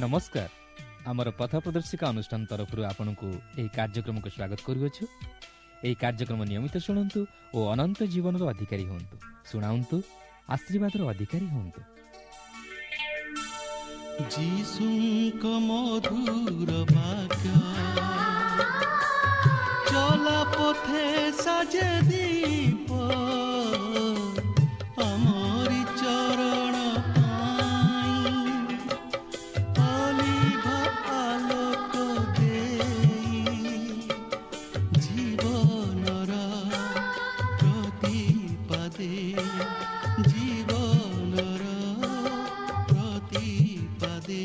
ନମସ୍କାର। ଆମର ପଥ ପ୍ରଦର୍ଶିକା ଅନୁଷ୍ଠାନ ତରଫରୁ ଆପଣଙ୍କୁ ଏହି କାର୍ଯ୍ୟକ୍ରମକୁ ସ୍ୱାଗତ କରୁଅଛୁ। ଏହି କାର୍ଯ୍ୟକ୍ରମ ନିୟମିତ ଶୁଣନ୍ତୁ ଓ ଅନନ୍ତ ଜୀବନର ଅଧିକାରୀ ହୁଅନ୍ତୁ। ଶୁଣାନ୍ତୁ, ଆଶୀର୍ବାଦର ଅଧିକାରୀ ହୁଅନ୍ତୁ। ଯୀଶୁଙ୍କ ମଧୁର ବାକ୍ୟ ଚଲା ପଥେ ସାଜେ ଦୀପ, ଆମରି ଚରଣ ପାଇଁ ଅଲିଭ ଆଲୋକ ଦେଇ, ଜୀବନର ପ୍ରତିପାଦେ, ଜୀବନର ପ୍ରତିପାଦେ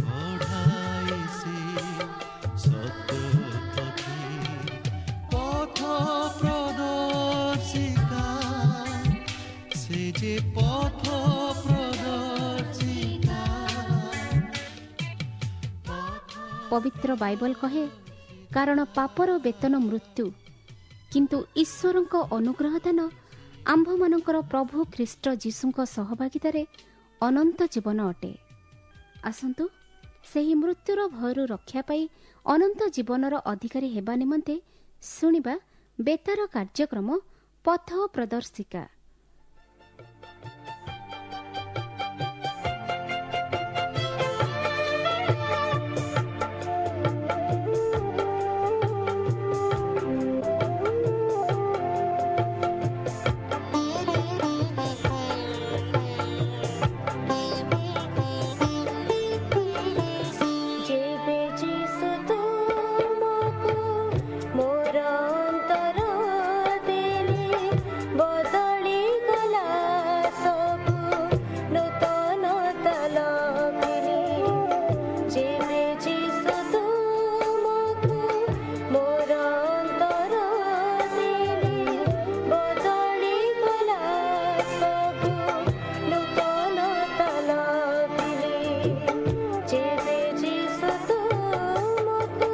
ବଢ଼ାଏ ସେ ସତ୍ୟ ପଥେ। ପଥ ପ୍ରଦର୍ଶିକା, ସେ ଯେ ପଥ ପ୍ରଦର୍ଶିକା। ପବିତ୍ର ବାଇବଲ କହେ, କାରଣ ପାପର ବେତନ ମୃତ୍ୟୁ, କିନ୍ତୁ ଈଶ୍ୱରଙ୍କ ଅନୁଗ୍ରହ ଦାନ ଆମ୍ଭମାନଙ୍କର ପ୍ରଭୁ ଖ୍ରୀଷ୍ଟ ଯୀଶୁଙ୍କ ସହଭାଗିତାରେ ଅନନ୍ତ ଜୀବନ ଅଟେ। ଆସନ୍ତୁ ସେହି ମୃତ୍ୟୁର ଭୟରୁ ରକ୍ଷା ପାଇ ଅନନ୍ତ ଜୀବନର ଅଧିକାରୀ ହେବା ନିମନ୍ତେ ଶୁଣିବା ବେତାର କାର୍ଯ୍ୟକ୍ରମ ପଥ ପ୍ରଦର୍ଶିକା। ଯେବେ ଯୀଶୁ ତୁମକୁ ମୋର ଅନ୍ତର ଦେଲେ, ବଦଳି ଗଲା ସବୁ, ନୂତନତା ଲଭିଲି। ଯେବେ ଯୀଶୁ ତୁମକୁ ମୋର ଅନ୍ତର ଦେଲେ, ବଦଳି ଗଲା ସବୁ, ନୂତନତା ଲଭିଲି। ଯେବେ ଯୀଶୁ ତୁମକୁ।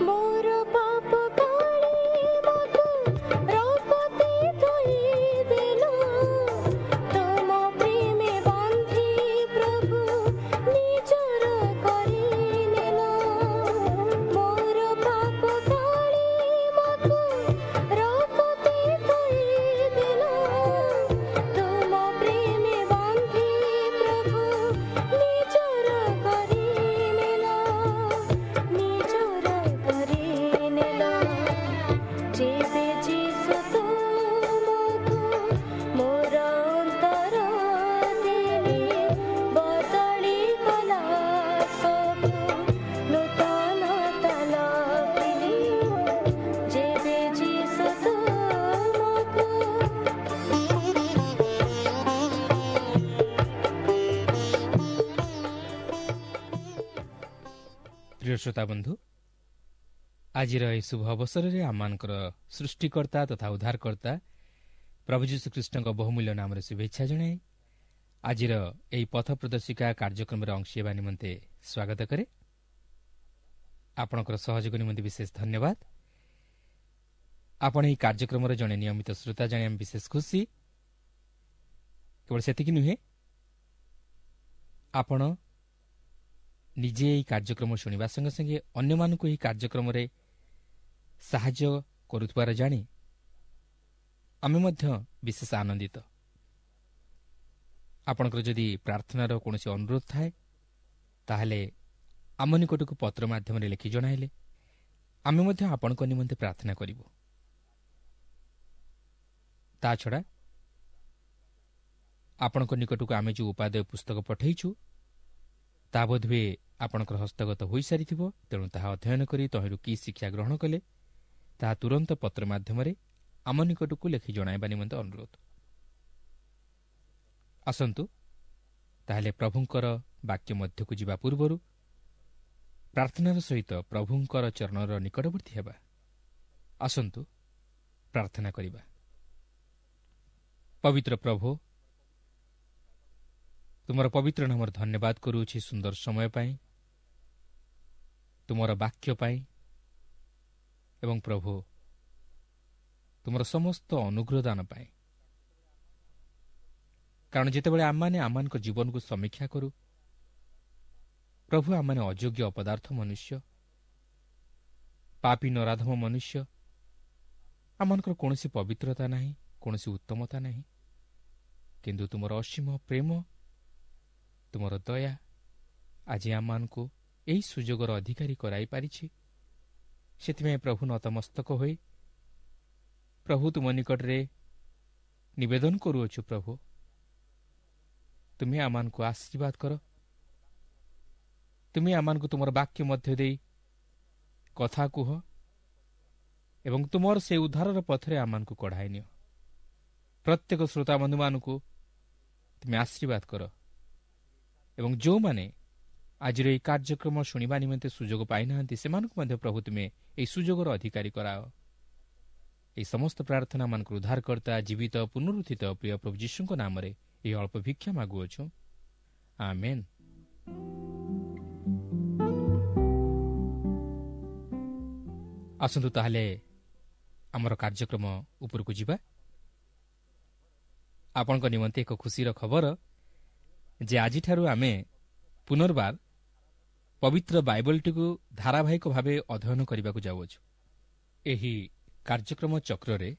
ମୋର ପାପ କାଳିମାକୁ ରକ୍ତେ ଧୋଇ ଦେଲ, ତୁମ ପ୍ରେମେ ବାନ୍ଧି ପ୍ରଭୁ ନିଜର କରିନେଲ। ମୋର ପାପ କାଳିମାକୁ ରକ୍ତେ ଧୋଇ ଦେଲ, ତୁମ ପ୍ରେମେ ବାନ୍ଧି ପ୍ରଭୁ ନିଜର କରିନେଲ, ନିଜର କରିନେଲ। ଯେବେ ଯୀଶୁ ତୁମକୁ ମୋର ଅନ୍ତର ଦେଲେ, ବଦଳି ଗଲା ସବୁ, ନୂତନତା ଲଭିଲି। ଯେବେ ଯୀଶୁ ତୁମକୁ। ପ୍ରିୟ ଶ୍ରୋତା ବନ୍ଧୁ, ଆଜିର ଏହି ଶୁଭ ଅବସରରେ ଆମମାନଙ୍କର ସୃଷ୍ଟିକର୍ତ୍ତା ତଥା ଉଦ୍ଧାରକର୍ତ୍ତା ପ୍ରଭୁ ଯୀଶୁଖ୍ରୀଷ୍ଟଙ୍କ ବହୁମୂଲ୍ୟ ନାମରେ ଶୁଭେଚ୍ଛା ଜଣାଇ ଆଜିର ଏହି ପଥ ପ୍ରଦର୍ଶିକା କାର୍ଯ୍ୟକ୍ରମରେ ଅଂଶୀ ହେବା ନିମନ୍ତେ ସ୍ୱାଗତ କରେ। ଆପଣଙ୍କର ସହଯୋଗ ନିମନ୍ତେ ବିଶେଷ ଧନ୍ୟବାଦ। ଆପଣ ଏହି କାର୍ଯ୍ୟକ୍ରମର ଜଣେ ନିୟମିତ ଶ୍ରୋତା ଜାଣି ଆମେ ବିଶେଷ ଖୁସି। କେବଳ ସେତିକି ନୁହେଁ, ଆପଣ ନିଜେ ଏହି କାର୍ଯ୍ୟକ୍ରମ ଶୁଣିବା ସଙ୍ଗେ ସଙ୍ଗେ ଅନ୍ୟମାନଙ୍କୁ ଏହି କାର୍ଯ୍ୟକ୍ରମରେ ସାହାଯ୍ୟ କରୁଥିବାର ଜାଣି ଆମେ ମଧ୍ୟ ବିଶେଷ ଆନନ୍ଦିତ। ଆପଣଙ୍କର ଯଦି ପ୍ରାର୍ଥନାର କୌଣସି ଅନୁରୋଧ ଥାଏ, ତାହେଲେ ଆମ ନିକଟକୁ ପତ୍ର ମାଧ୍ୟମରେ ଲେଖି ଜଣାଇଲେ ଆମେ ମଧ୍ୟ ଆପଣଙ୍କ ନିମନ୍ତେ ପ୍ରାର୍ଥନା କରିବୁ। ତା ଛଡ଼ା ଆପଣଙ୍କ ନିକଟକୁ ଆମେ ଯେଉଁ ଉପାଦେୟ ପୁସ୍ତକ ପଠାଇଛୁ, ତାହା ବୋଧହୁଏ ଆପଣଙ୍କର ହସ୍ତଗତ ହୋଇସାରିଥିବ। ତେଣୁ ତାହା ଅଧ୍ୟୟନ କରି ତହିଁରୁ କି ଶିକ୍ଷା ଗ୍ରହଣ କଲେ ତାହା ତୁରନ୍ତ ପତ୍ର ମାଧ୍ୟମରେ ଆମ ନିକଟକୁ ଲେଖି ଜଣାଇବା ନିମନ୍ତେ ଅନୁରୋଧ। ଆସନ୍ତୁ ତାହେଲେ ପ୍ରଭୁଙ୍କର ବାକ୍ୟ ମଧ୍ୟକୁ ଯିବା ପୂର୍ବରୁ ପ୍ରାର୍ଥନାର ସହିତ ପ୍ରଭୁଙ୍କର ଚରଣର ନିକଟବର୍ତ୍ତୀ ହେବା। ଆସନ୍ତୁ ପ୍ରାର୍ଥନା କରିବା। ପବିତ୍ର ପ୍ରଭୁ, ତୁମର ପବିତ୍ର ନାମର ଧନ୍ୟବାଦ କରୁଅଛି ସୁନ୍ଦର ସମୟ ପାଇଁ, ତୁମର ବାକ୍ୟ ପାଇଁ ଏବଂ ପ୍ରଭୁ ତୁମର ସମସ୍ତ ଅନୁଗ୍ରହ ଦାନ ପାଇଁ। କାରଣ ଯେତେବେଳେ ଆମମାନେ ଆମମାନଙ୍କ ଜୀବନକୁ ସମୀକ୍ଷା କରୁ, ପ୍ରଭୁ ଆମମାନେ ଅଯୋଗ୍ୟ ଅପଦାର୍ଥ ମନୁଷ୍ୟ, ପାପୀ ନରାଧମ ମନୁଷ୍ୟ, ଆମମାନଙ୍କର କୌଣସି ପବିତ୍ରତା ନାହିଁ, କୌଣସି ଉତ୍ତମତା ନାହିଁ। କିନ୍ତୁ ତୁମର ଅସୀମ ପ୍ରେମ, ତୁମର ଦୟା ଆଜି ଆମମାନଙ୍କୁ ଏହି ସୁଯୋଗର ଅଧିକାରୀ କରାଇପାରିଛି। ସେଥିପାଇଁ ପ୍ରଭୁ ନତମସ୍ତକ ହୋଇ ପ୍ରଭୁ ତୁମ ନିକଟରେ ନିବେଦନ କରୁଅଛୁ। ପ୍ରଭୁ ତୁମେ ଆମମାନଙ୍କୁ ଆଶୀର୍ବାଦ କର, ତୁମେ ଆମମାନଙ୍କୁ ତୁମର ବାକ୍ୟ ମଧ୍ୟ ଦେଇ କଥା କୁହ ଏବଂ ତୁମର ସେ ଉଦ୍ଧାରର ପଥରେ ଆମମାନଙ୍କୁ କଢ଼ାଇ ନିଅ। ପ୍ରତ୍ୟେକ ଶ୍ରୋତାବନ୍ଧୁମାନଙ୍କୁ ତୁମେ ଆଶୀର୍ବାଦ କର ଏବଂ ଯେଉଁମାନେ ଆଜିର ଏହି କାର୍ଯ୍ୟକ୍ରମ ଶୁଣିବା ନିମନ୍ତେ ସୁଯୋଗ ପାଇନାହାନ୍ତି, ସେମାନଙ୍କୁ ମଧ୍ୟ ପ୍ରଭୁ ତୁମେ ଏହି ସୁଯୋଗର ଅଧିକାରୀ କରାଅ। ଏହି ସମସ୍ତ ପ୍ରାର୍ଥନା ମାନଙ୍କର ଉଦ୍ଧାରକର୍ତ୍ତା ଜୀବିତ ପୁନରୁତ୍ଥିତ ପ୍ରିୟ ପ୍ରଭୁ ଯୀଶୁଙ୍କ ନାମରେ ଏହି ଅଳ୍ପ ଭିକ୍ଷା ମାଗୁଅଛୁ, ଆମେନ୍। ଆସନ୍ତୁ ତାହେଲେ ଆମର କାର୍ଯ୍ୟକ୍ରମ ଉପରକୁ ଯିବା। ଆପଣଙ୍କ ନିମନ୍ତେ ଏକ ଖୁସିର ଖବର ଯେ ଆଜିଠାରୁ ଆମେ ପୁନର୍ବାର ପବିତ୍ର ବାଇବଲଟିକୁ ଧାରାବାହିକ ଭାବେ ଅଧ୍ୟୟନ କରିବାକୁ ଯାଉଅଛୁ। ଏହି କାର୍ଯ୍ୟକ୍ରମ ଚକ୍ରରେ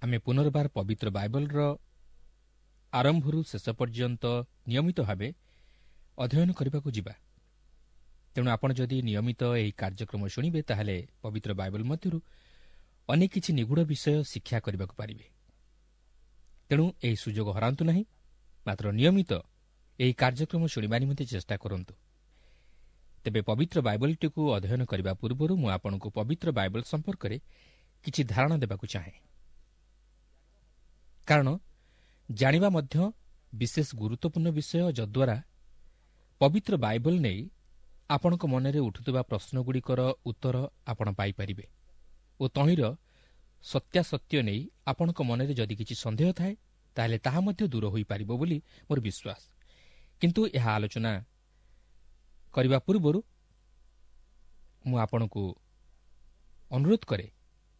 ଆମେ ପୁନର୍ବାର ପବିତ୍ର ବାଇବଲର ଆରମ୍ଭରୁ ଶେଷ ପର୍ଯ୍ୟନ୍ତ ନିୟମିତ ଭାବେ ଅଧ୍ୟୟନ କରିବାକୁ ଯିବା। ତେଣୁ ଆପଣ ଯଦି ନିୟମିତ ଏହି କାର୍ଯ୍ୟକ୍ରମ ଶୁଣିବେ, ତାହେଲେ ପବିତ୍ର ବାଇବଲ ମଧ୍ୟରୁ ଅନେକ କିଛି ନିଗୂଢ଼ ବିଷୟ ଶିକ୍ଷା କରିବାକୁ ପାରିବେ। ତେଣୁ ଏହି ସୁଯୋଗ ହରାନ୍ତୁ ନାହିଁ, ମାତ୍ର ନିୟମିତ ଏହି କାର୍ଯ୍ୟକ୍ରମ ଶୁଣିବା ନିମନ୍ତେ ଚେଷ୍ଟା କରନ୍ତୁ। ତେବେ ପବିତ୍ର ବାଇବଲଟିକୁ ଅଧ୍ୟୟନ କରିବା ପୂର୍ବରୁ ମୁଁ ଆପଣଙ୍କୁ ପବିତ୍ର ବାଇବଲ ସମ୍ପର୍କରେ କିଛି ଧାରଣା ଦେବାକୁ ଚାହେଁ, କାରଣ ଜାଣିବା ମଧ୍ୟ ବିଶେଷ ଗୁରୁତ୍ୱପୂର୍ଣ୍ଣ ବିଷୟ, ଯଦ୍ୱାରା ପବିତ୍ର ବାଇବଲ ନେଇ ଆପଣଙ୍କ ମନରେ ଉଠୁଥିବା ପ୍ରଶ୍ନଗୁଡ଼ିକର ଉତ୍ତର ଆପଣ ପାଇପାରିବେ ଓ ତହିଁର ସତ୍ୟାସତ୍ୟ ନେଇ ଆପଣଙ୍କ ମନରେ ଯଦି କିଛି ସନ୍ଦେହ ଥାଏ, ତାହେଲେ ତାହା ମଧ୍ୟ ଦୂର ହୋଇପାରିବ ବୋଲି ମୋର ବିଶ୍ୱାସ। କିନ୍ତୁ ଏହା ଆଲୋଚନା କରିବା ପୂର୍ବରୁ ମୁଁ ଆପଣଙ୍କୁ ଅନୁରୋଧ କରେ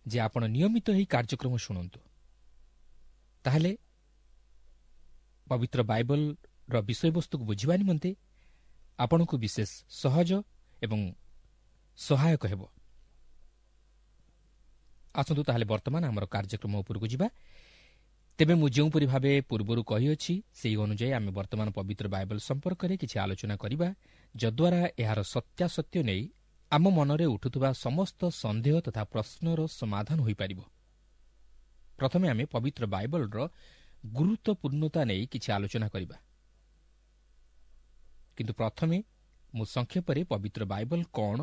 ଯେ ଆପଣ ନିୟମିତ ଏହି କାର୍ଯ୍ୟକ୍ରମ ଶୁଣନ୍ତୁ, ତାହେଲେ ପବିତ୍ର ବାଇବଲର ବିଷୟବସ୍ତୁକୁ ବୁଝିବା ନିମନ୍ତେ ଆପଣଙ୍କୁ ବିଶେଷ ସହଜ ଏବଂ ସହାୟକ ହେବ। ଆସନ୍ତୁ ତାହେଲେ ବର୍ତ୍ତମାନ ଆମର କାର୍ଯ୍ୟକ୍ରମ ଉପରକୁ ଯିବା। ତେବେ ମୁଁ ଯେଉଁପରି ଭାବେ ପୂର୍ବରୁ କହିଅଛି, ସେହି ଅନୁଯାୟୀ ଆମେ ବର୍ତ୍ତମାନ ପବିତ୍ର ବାଇବଲ ସମ୍ପର୍କରେ କିଛି ଆଲୋଚନା କରିବା, ଯଦ୍ୱାରା ଏହାର ସତ୍ୟାସତ୍ୟ ନେଇ ଆମ ମନରେ ଉଠୁଥିବା ସମସ୍ତ ସନ୍ଦେହ ତଥା ପ୍ରଶ୍ନର ସମାଧାନ ହୋଇପାରିବ। ପ୍ରଥମେ ଆମେ ପବିତ୍ର ବାଇବଲର ଗୁରୁତ୍ୱପୂର୍ଣ୍ଣତା ନେଇ କିଛି ଆଲୋଚନା କରିବା। କିନ୍ତୁ ପ୍ରଥମେ ମୁଁ ସଂକ୍ଷେପରେ ପବିତ୍ର ବାଇବଲ କ'ଣ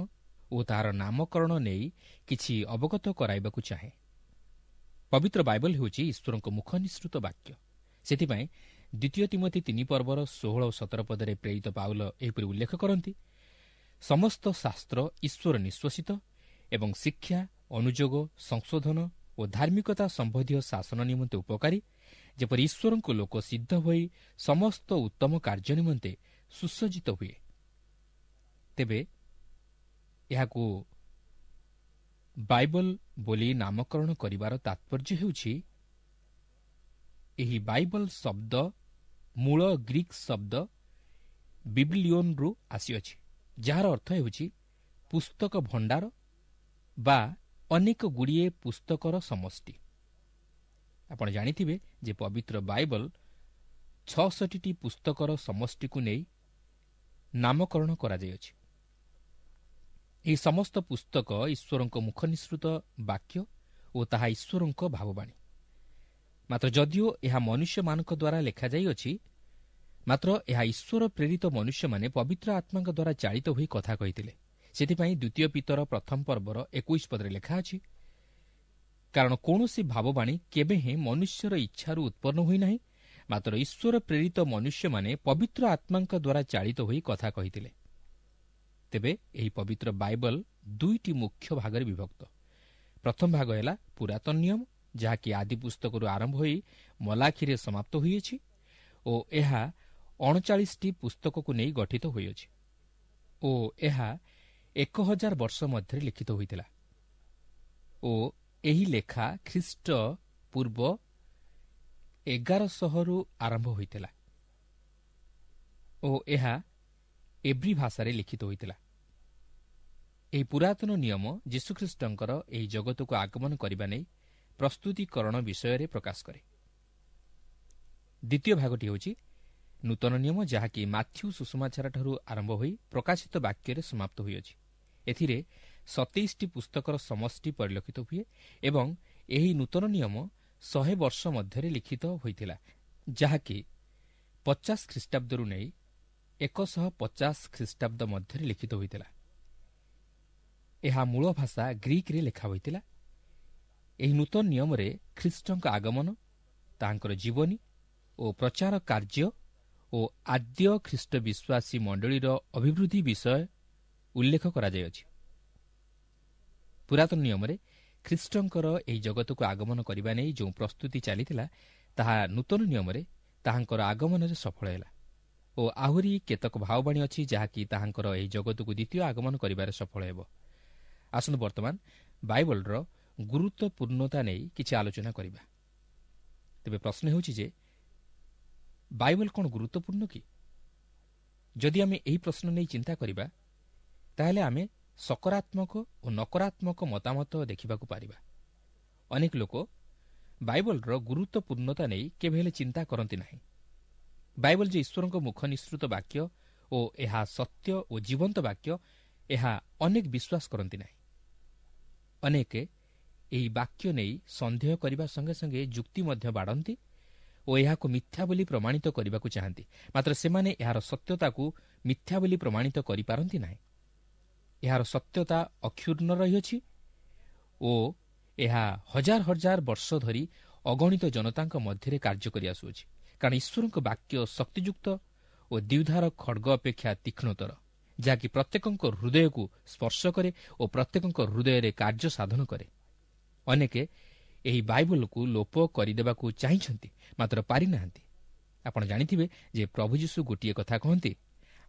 ଓ ତାହାର ନାମକରଣ ନେଇ କିଛି ଅବଗତ କରାଇବାକୁ ଚାହେଁ। ପବିତ୍ର ବାଇବଲ ହେଉଛି ଈଶ୍ୱରଙ୍କ ମୁଖ ନିଃସୃତ ବାକ୍ୟ। ସେଥିପାଇଁ ଦ୍ୱିତୀୟ ତିମୋଥି 3 ପର୍ବର 16 ଓ 17 ପଦରେ ପ୍ରେରିତ ପାଉଲ ଏହିପରି ଉଲ୍ଲେଖ କରନ୍ତି, ସମସ୍ତ ଶାସ୍ତ୍ର ଈଶ୍ୱର ନିଶ୍ଵସିତ ଏବଂ ଶିକ୍ଷା, ଅନୁଯୋଗ, ସଂଶୋଧନ ଓ ଧାର୍ମିକତା ସମ୍ବନ୍ଧୀୟ ଶାସନ ନିମନ୍ତେ ଉପକାରୀ, ଯେପରି ଈଶ୍ୱରଙ୍କ ଲୋକ ସିଦ୍ଧ ହୋଇ ସମସ୍ତ ଉତ୍ତମ କାର୍ଯ୍ୟ ନିମନ୍ତେ ସୁସଜ୍ଜିତ ହୁଏ। ତେବେ ଏହାକୁ ବାଇବଲ ବୋଲି ନାମକରଣ କରିବାର ତାତ୍ପର୍ଯ୍ୟ ହେଉଛି, ଏହି ବାଇବଲ ଶବ୍ଦ ମୂଳ ଗ୍ରୀକ୍ ଶବ୍ଦ ବିବ୍ଲିଓନ୍ରୁ ଆସିଅଛି, ଯାହାର ଅର୍ଥ ହେଉଛି ପୁସ୍ତକ ଭଣ୍ଡାର ବା ଅନେକ ଗୁଡ଼ିଏ ପୁସ୍ତକର ସମଷ୍ଟି। ଆପଣ ଜାଣିଥିବେ ଯେ ପବିତ୍ର ବାଇବଲ 66ଟି ପୁସ୍ତକର ସମଷ୍ଟିକୁ ନେଇ ନାମକରଣ କରାଯାଇଅଛି। ଏହି ସମସ୍ତ ପୁସ୍ତକ ଈଶ୍ୱରଙ୍କ ମୁଖ ନିଃସୃତ ବାକ୍ୟ ଓ ତାହା ଈଶ୍ୱରଙ୍କ ଭାବବାଣୀ। ମାତ୍ର ଯଦିଓ ଏହା ମନୁଷ୍ୟମାନଙ୍କ ଦ୍ୱାରା ଲେଖାଯାଇଅଛି, ମାତ୍ର ଏହା ଈଶ୍ୱର ପ୍ରେରିତ ମନୁଷ୍ୟମାନେ ପବିତ୍ର ଆତ୍ମାଙ୍କ ଦ୍ୱାରା ଚାଳିତ ହୋଇ କଥା କହିଥିଲେ। ସେଥିପାଇଁ ଦ୍ୱିତୀୟ ପିତର 1 ପର୍ବର 21 ପଦରେ ଲେଖା ଅଛି, କାରଣ କୌଣସି ଭାବବାଣୀ କେବେ ହେଁ ମନୁଷ୍ୟର ଇଚ୍ଛାରୁ ଉତ୍ପନ୍ନ ହୋଇନାହିଁ, ମାତ୍ର ଈଶ୍ୱର ପ୍ରେରିତ ମନୁଷ୍ୟମାନେ ପବିତ୍ର ଆତ୍ମାଙ୍କ ଦ୍ୱାରା ଚାଳିତ ହୋଇ କଥା କହିଥିଲେ। ତେବେ ଏହି ପବିତ୍ର ବାଇବଲ 2ଟି ମୁଖ୍ୟ ଭାଗରେ ବିଭକ୍ତ। ପ୍ରଥମ ଭାଗ ହେଲା ପୁରାତନ ନିୟମ, ଯାହାକି ଆଦି ପୁସ୍ତକରୁ ଆରମ୍ଭ ହୋଇ ମଲାଖିରେ ସମାପ୍ତ ହୋଇଅଛି ଓ ଏହା 39ଟି ପୁସ୍ତକକୁ ନେଇ ଗଠିତ ହୋଇଅଛି ଓ ଏହା 1000 ବର୍ଷ ମଧ୍ୟରେ ଲିଖିତ ହୋଇଥିଲା ଓ ଏହି ଲେଖା ଖ୍ରୀଷ୍ଟ ପୂର୍ବ 1100ରୁ ଆରମ୍ଭ ହୋଇଥିଲା ଓ ଏହା ଏବ୍ରୀ ଭାଷାରେ ଲିଖିତ ହୋଇଥିଲା। ଏହି ପୁରାତନ ନିୟମ ଯୀଶୁଖ୍ରୀଷ୍ଟଙ୍କର ଏହି ଜଗତକୁ ଆଗମନ କରିବା ନେଇ ପ୍ରସ୍ତୁତିକରଣ ବିଷୟରେ ପ୍ରକାଶ କରେ। ଦ୍ୱିତୀୟ ଭାଗଟି ହେଉଛି ନୂତନ ନିୟମ, ଯାହାକି ମାଥ୍ୟୁ ସୁଷମାଚାରଠାରୁ ଆରମ୍ଭ ହୋଇ ପ୍ରକାଶିତ ବାକ୍ୟରେ ସମାପ୍ତ ହୋଇଅଛି। ଏଥିରେ 27ଟି ପୁସ୍ତକର ସମଷ୍ଟି ପରିଲକ୍ଷିତ ହୁଏ ଏବଂ ଏହି ନୂତନ ନିୟମ 100 ବର୍ଷ ମଧ୍ୟରେ ଲିଖିତ ହୋଇଥିଲା, ଯାହାକି 50 ଖ୍ରୀଷ୍ଟାବ୍ଦରୁ ନେଇ 150 ଖ୍ରୀଷ୍ଟାବ୍ଦ ମଧ୍ୟରେ ଲିଖିତ ହୋଇଥିଲା। ଏହା ମୂଳ ଭାଷା ଗ୍ରୀକ୍ରେ ଲେଖା ହୋଇଥିଲା। ଏହି ନୂତନ ନିୟମରେ ଖ୍ରୀଷ୍ଟଙ୍କ ଆଗମନ, ତାହାଙ୍କର ଜୀବନୀ ଓ ପ୍ରଚାର କାର୍ଯ୍ୟ ଓ ଆଦ୍ୟ ଖ୍ରୀଷ୍ଟ ବିଶ୍ୱାସୀ ମଣ୍ଡଳୀର ଅଭିବୃଦ୍ଧି ବିଷୟ ଉଲ୍ଲେଖ କରାଯାଇଅଛି। ପୁରାତନ ନିୟମରେ ଖ୍ରୀଷ୍ଟଙ୍କର ଏହି ଜଗତକୁ ଆଗମନ କରିବା ନେଇ ଯେଉଁ ପ୍ରସ୍ତୁତି ଚାଲିଥିଲା, ତାହା ନୂତନ ନିୟମରେ ତାହାଙ୍କର ଆଗମନରେ ସଫଳ ହେଲା ଓ ଆହୁରି କେତେକ ଭାବବାଣୀ ଅଛି ଯାହାକି ତାହାଙ୍କର ଏହି ଜଗତକୁ ଦ୍ୱିତୀୟ ଆଗମନ କରିବାରେ ସଫଳ ହେବ। ଆସନ୍ତୁ ବର୍ତ୍ତମାନ ବାଇବଲର ଗୁରୁତ୍ୱପୂର୍ଣ୍ଣତା ନେଇ କିଛି ଆଲୋଚନା କରିବା। ତେବେ ପ୍ରଶ୍ନ ହେଉଛି ଯେ ବାଇବଲ କ'ଣ ଗୁରୁତ୍ୱପୂର୍ଣ୍ଣ କି? ଯଦି ଆମେ ଏହି ପ୍ରଶ୍ନ ନେଇ ଚିନ୍ତା କରିବା, ତାହେଲେ ଆମେ ସକାରାତ୍ମକ ଓ ନକାରାତ୍ମକ ମତାମତ ଦେଖିବାକୁ ପାରିବା। ଅନେକ ଲୋକ ବାଇବଲର ଗୁରୁତ୍ୱପୂର୍ଣ୍ଣତା ନେଇ କେବେ ହେଲେ ଚିନ୍ତା କରନ୍ତି ନାହିଁ। ବାଇବଲ ଯେ ଈଶ୍ୱରଙ୍କ ମୁଖ ନିଃସୃତ ବାକ୍ୟ ଓ ଏହା ସତ୍ୟ ଓ ଜୀବନ୍ତ ବାକ୍ୟ, ଏହା ଅନେକ ବିଶ୍ୱାସ କରନ୍ତି ନାହିଁ। ଅନେକ ଏହି ବାକ୍ୟ ନେଇ ସନ୍ଦେହ କରିବା ସଙ୍ଗେ ସଙ୍ଗେ ଯୁକ୍ତି ମଧ୍ୟ ବାଢ଼ନ୍ତି ଓ ଏହାକୁ ମିଥ୍ୟା ବୋଲି ପ୍ରମାଣିତ କରିବାକୁ ଚାହାନ୍ତି। ମାତ୍ର ସେମାନେ ଏହାର ସତ୍ୟତାକୁ ମିଥ୍ୟା ବୋଲି ପ୍ରମାଣିତ କରିପାରନ୍ତି ନାହିଁ। ଏହାର ସତ୍ୟତା ଅକ୍ଷୁଣ୍ଣ ରହିଅଛି ଓ ଏହା ହଜାର ହଜାର ବର୍ଷ ଧରି ଅଗଣିତ ଜନତାଙ୍କ ମଧ୍ୟରେ କାର୍ଯ୍ୟ କରିଆସୁଅଛି। କାରଣ ଈଶ୍ୱରଙ୍କ ବାକ୍ୟ ଶକ୍ତିଯୁକ୍ତ ଓ ଦ୍ୱିଧାର ଖଡ଼ଗ ଅପେକ୍ଷା ତୀକ୍ଷ୍ଣତର, ଯାହାକି ପ୍ରତ୍ୟେକଙ୍କ ହୃଦୟକୁ ସ୍ପର୍ଶ କରେ ଓ ପ୍ରତ୍ୟେକଙ୍କ ହୃଦୟରେ କାର୍ଯ୍ୟ ସାଧନ କରେ। ଅନେକ ଏହି ବାଇବଲକୁ ଲୋପ କରିଦେବାକୁ ଚାହିଁଛନ୍ତି, ମାତ୍ର ପାରିନାହାନ୍ତି। ଆପଣ ଜାଣିଥିବେ ଯେ ପ୍ରଭୁ ଯୀଶୁ ଗୋଟିଏ କଥା କହନ୍ତି,